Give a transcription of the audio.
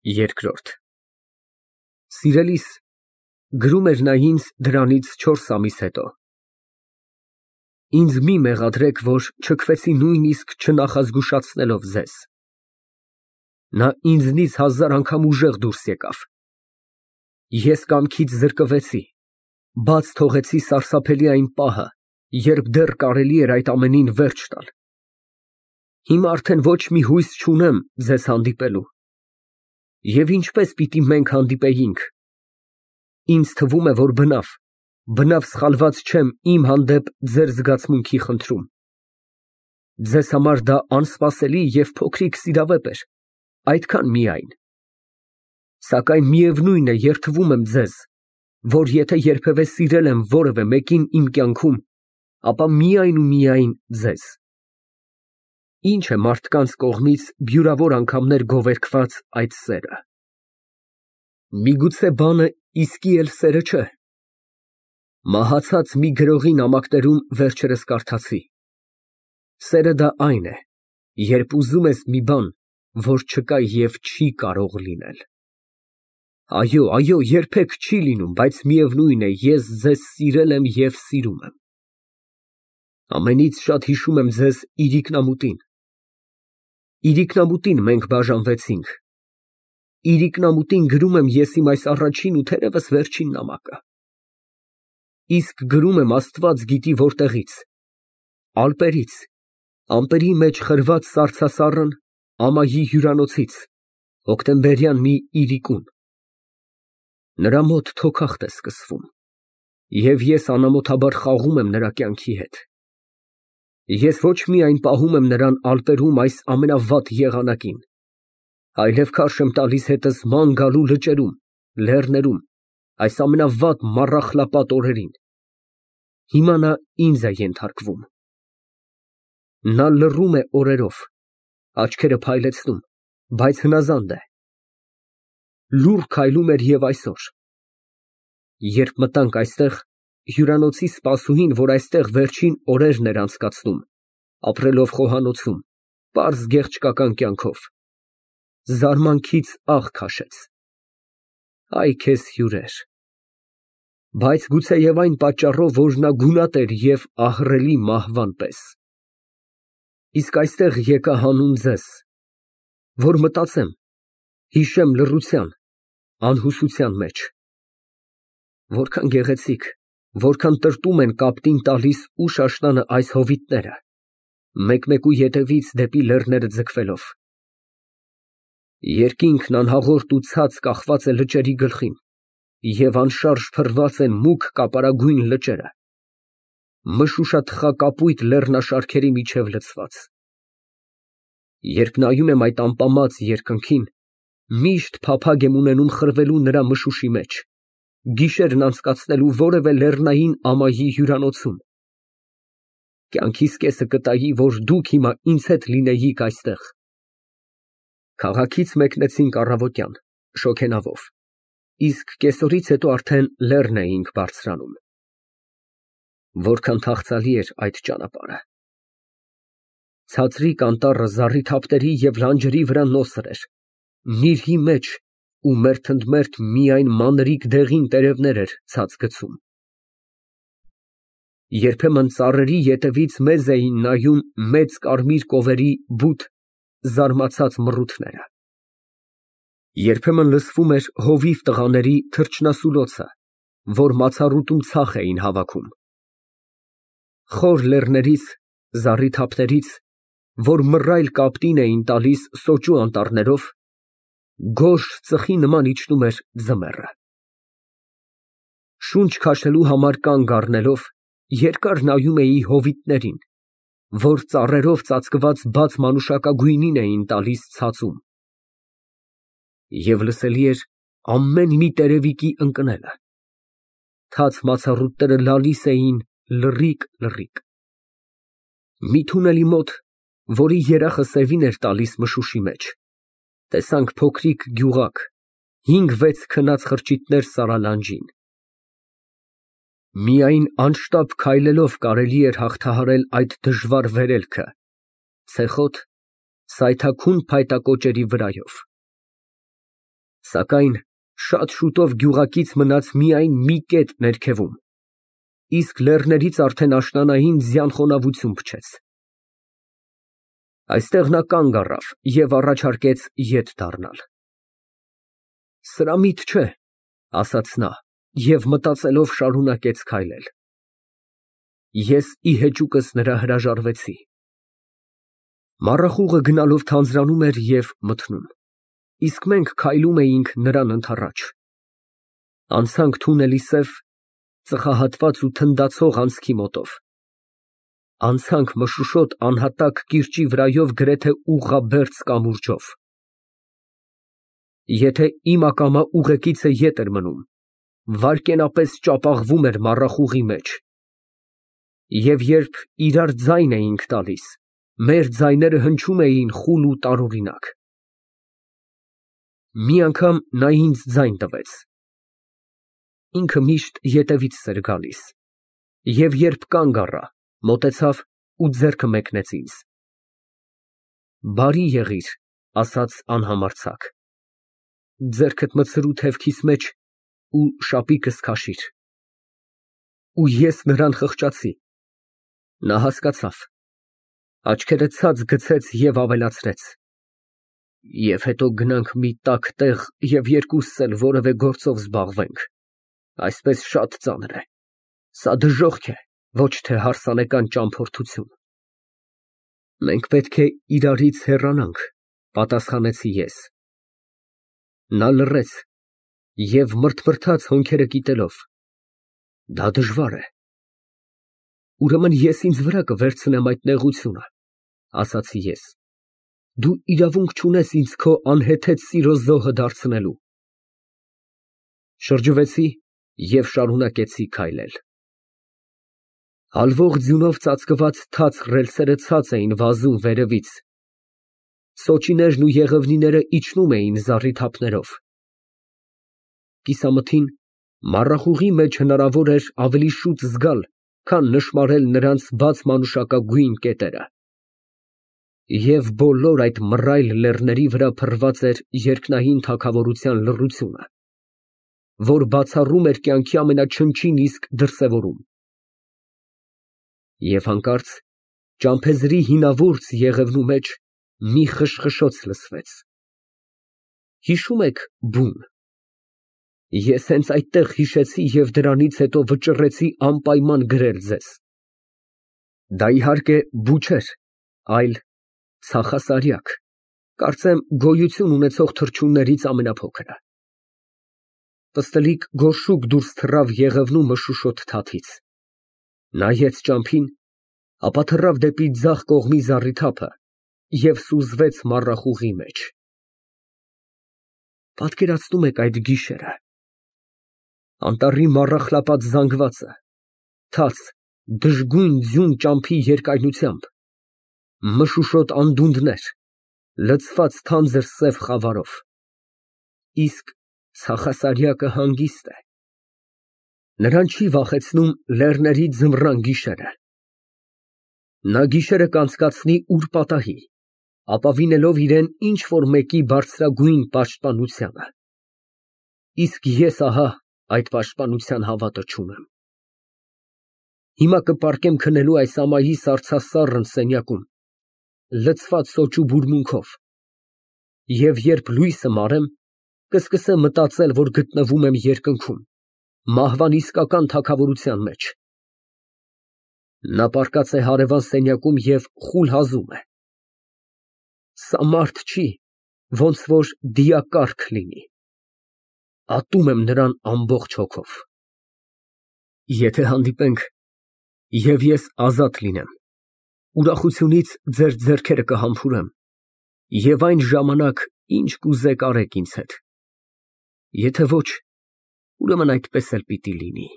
Երկրորդ Սիրելիս, գրում էր նա ինձ դրանից 4 ամիս հետո, ինձ մի մեղադրեք, որ չքվեցի նույնիսկ չնախազգուշացնելով ձեզ։ Նա ինձնից 1000 անգամ ուժեղ դուրս եկավ։ Ես կամքից զրկվեցի, բաց թողեցի սարսափելի այն պահը, երբ դեռ կարելի էր այդ ամենին վերջ տալ։ Հիմա արդեն ոչ մի հույս չունեմ ձեզ հանդիպելու։ Եվ ինչպես պիտի մենք հանդիպեինք։ Ինձ թվում է, որ բնավ սխալված չեմ իմ հանդեպ ձեր զգացմունքի խնդրում։ Ձեզ համար դա անսպասելի և փոքրիկ սիրավեպ էր, այդքան միայն։ Սակայն միևնույն է, երդվում եմ ձեզ, որ եթե երբևէ սիրել եմ որևէ մեկին իմ կյանքում, ապա միայն ու միայն ձեզ։ Ինչ է մարդկանց կողմից բյուրավոր անգամներ գովերգված այդ սերը։ Միգուցե բանը իսկի էլ սերը չէ։ Մահացած մի գրողի նամակներում վերջերս կարդացի. սերը դա այն է, երբ ուզում ես մի բան, որ չկա և չի կարող լինել։ Այո, երբեք չի լինում, բայց միևնույն է, ես ձեզ սիրել եմ և սիրում եմ։ Ամենից շատ հիշում եմ ձեզ իրիկնամուտին։ Իրիկնամուտին մենք բաժանվեցինք։ Իրիկնամուտին գրում եմ ես իմ այս առաջին ու թերևս վերջին նամակը։ Իսկ գրում եմ Աստված գիտի որտեղից, ալպերից, ամպերի մեջ խրված սառցասառն ամայի հյուրանոցից, հոկտեմբերյան մի իրիկուն։ Նրա մոտ թոքախտ է սկսվում, և ես անամոթաբար խաղում եմ նրա կյանքի հետ։ Ես ոչ միայն պահում եմ նրան ալպերում այս ամենավատ եղանակին, այլև քարշ եմ տալիս հետս ման գալու լճերում, լեռներում, այս ամենավատ մառախլապատ օրերին։ Հիմա նա ինձ է ենթարկվում։ Նա լռում է օրերով, աչքերը փայլեցնում, բայց հնազանդ է։ Լուռ քայլում էր և այսօր։ Երբ մտանք այստեղ, հյուրանոցի սպասուհին, որ այստեղ վերջին օրերն էր անցկացնում, ապրելով խոհանոցում, պարզ գեղչկական կյանքով, զարմանքից աղ քաշեց։ Այ քեզ հյուրեր։ Բայց գուցեև այն պատճառով, որ նա գունատ էր և ահռելի մահվան պես։ Իսկ այստեղ եկա հանուն ձեզ, որ մտածեմ, հիշեմ լռության, անհուսության մեջ։ Որքան գեղեցիկ, որքան տրտում են կապտին տալիս ուշ աշնանը այս հովիտները, մեկ֊մեկու ետևից դեպի լեռները ձգվելով։ Երկինքն անհաղորդ ու ցած կախված է լճերի գլխին, և անշարժ փռված են մուգ կապարագույն լճերը, մշուշաթխակապույտ լեռնաշարքերի միջև լցված։ Երբ նայում եմ այդ ամպամած երկնքին, միշտ փափագ եմ ունենում խրվելու նրա մշուշի մեջ, գիշերն անցկացնելու որևէ լեռնային ամայի հյուրանոցում։ Կյանքիս կեսը կտայի, որ դուք հիմա ինձ հետ լինեիք այստեղ։ Քաղաքից մեկնեցինք առավոտյան, շոգենավով, իսկ կեսօրից հետո արդեն լեռն էինք բարձրանում։ Որքան թախծալի էր այդ ճանապարհը։ Ցածրիկ անտառը զառիթափտերի և լանջերի վրա նոսր էր, նիրհի մեջ ու մերթընդմերթ միայն մանրիկ դեղին տերևներ էր ցած գցում։ Երբեմն ծառերի ետևից մեզ էին նայում մեծ կարմիր կովերի բութ, զարմացած մռութները։ Երբեմն լսվում էր հովիվ տղաների թռչնասուլոցը, որ մացառուտում ցախ էին հավաքում։ Խոր լեռներից, զառիթափներից, որ մռայլ կապտին էին տալիս սոճու անտառներով, գորշ ծխի նման իջնում էր ձմեռը։ Շունչ քաշելու համար կանգ առնելով, երկար նայում էի հովիտներին, որ ծառերով ծածկված բաց մանուշակագույնին էին տալիս ցածում։ Եվ լսելի էր ամեն մի տերևիկի ընկնելը։ Թաց մացառուտները լալիս էին լռիկ։ Մի թունելի մոտ, որի երախը սևին էր տալիս մշուշի մեջ, տեսանք փոքրիկ գյուղակ, 5-6 քնած խրճիթներ սարալանջին։ Միայն անշտապ քայլելով կարելի էր հաղթահարել այդ դժվար վերելքը, ցեխոտ, սայթաքուն փայտակոճերի վրայով։ Սակայն շատ շուտով գյուղակից մնաց միայն մի կետ ներքևում, իսկ լեռներից արդեն աշնանային ձյան խոնավություն փչեց։ Այստեղ նա կանգ առավ և առաջարկեց ետ դառնալ։ Սրա միտք չէ, ասաց նա և մտածելով շարունակեց քայլել։ Ես ի հեճուկս նրա հրաժարվեցի։ Մառախուղը գնալով թանձրանում էր և մթնում, իսկ մենք քայլում էինք նրան ընդառաջ։ Անցանք թունելի սև, ծխահատված ու թնդացող անցքի մոտով։ Անցանք մշուշոտ անհատակ կիրճի վրայով գրեթե ուղղաբերձ կամուրջով։ Եթե իմ ակամա ուղեկիցը ետ էր մնում, վայրկենապես ճապաղվում էր մառախուղի մեջ, և երբ իրար ձայն էինք տալիս, մեր ձայները հնչում էին խուլ ու տարօրինակ։ Մի անգամ նա ինձ ձայն տվեց։ Ինքը միշտ ետևիցս էր գալիս, և երբ կանգ առա, մոտեցավ ու ձեռքը մեկնեց ինձ։ Բարի եղիր, ասաց անհամարձակ, ձեռքդ մտցրու թևքիս մեջ ու շապիկս քաշիր։ Ու ես նրան խղճացի։ Նա հասկացավ, աչքերը ցած գցեց և ավելացրեց. Եվ հետո գնանք մի տաք տեղ և երկուսս էլ որևէ գործով զբաղվենք, այսպես շատ ծանր է, սա դժոխք է, ոչ թե հարսանեկան ճամփորդություն։ Մենք պետք է իրարից հեռանանք, պատասխանեցի ես։ Նա լռեց և մռթմռթաց հոնքերը կիտելով։ Դա դժվար է։ Ուրեմն ես ինձ վրա կվերցնեմ այդ նեղությունը, ասացի ես։ Դու իրավունք չունես ինձ քո անհեթեթ սիրո զոհը դարձնելու։ Շրջվեցի և շարունակեցի քայլել։ Հալվող ձյունով ծածկված թաց ռելսերը ցած էին վազում վերևից, սոճիներն ու եղևնիները իջնում էին զառիթափներով։ Կիսամթին մառախուղի մեջ հնարավոր էր ավելի շուտ զգալ, քան նշմարել նրանց բաց մանուշակագույն կետերը։ Եվ բոլոր այդ մռայլ լեռների վրա փռված էր երկնային թագավորության լռությունը, որ բացառում էր կյանքի ամենաչնչին իսկ դրսևորում։ Եվ հանկարծ ճամփեզրի հինավուրց եղևնու մեջ մի խշխշոց լսվեց։ Հիշո՞ւմ եք բուն։ Ես հենց այդտեղ հիշեցի և դրանից հետո վճռեցի անպայման գրել ձեզ։ Դա իհարկե բու չէր, այլ ցախասարյակ, կարծեմ գոյություն ունեցող թռչուններից ամենափոքրը։ Պստլիկ գորշուկ դուրս թռավ եղևնու մշուշոտ թաթից, նայեց ճամփին, ապա թռավ դեպի ձախ կողմի զառիթափը և սուզվեց մառախուղի մեջ։ Պատկերացնո՞ւմ եք այդ գիշերը։ Անտառի մառախլապատ զանգվածը, թաց, դժգույն ձյուն ճամփի երկայնությամբ, մշուշոտ անդունդներ, լցված թանձր սև խավարով։ Իսկ ցախասարյակը հանգիստ է։ Նրան չի վախեցնում լեռների ձմռան գիշերը։ Նա գիշերը կանցկացնի ուր֊պատահի, ապավինելով իրան ինչ֊որ մեկի բարձրագույն պաշտպանությանը։ Իսկ ես ահա այդ պաշտպանության հավատը չունեմ։ Հիմա կպառկեմ քնելու այս ամայի սառցասառն սենյակում, լցված սոճու բուրմունքով, և երբ լույսը մարեմ, կսկսեմ մտածել, որ գտնվում եմ երկնքում, մահվան իսկական թագավորության մեջ։ Նա պառկած է հարևան սենյակում և խուլ հազում է։ Սա մարդ չի, ոնց որ դիակառք լինի։ Ատում եմ նրան ամբողջ հոգով։ Եթե հանդիպենք, և ես ազատ լինեմ, ուրախությունից ձեր ձեռքերը կհամբուրեմ, և այն ժամանակ ինչ կուզեք արեք ինձ հետ, եթե ոչ, ուրեմն այդպես էլ պիտի լինի։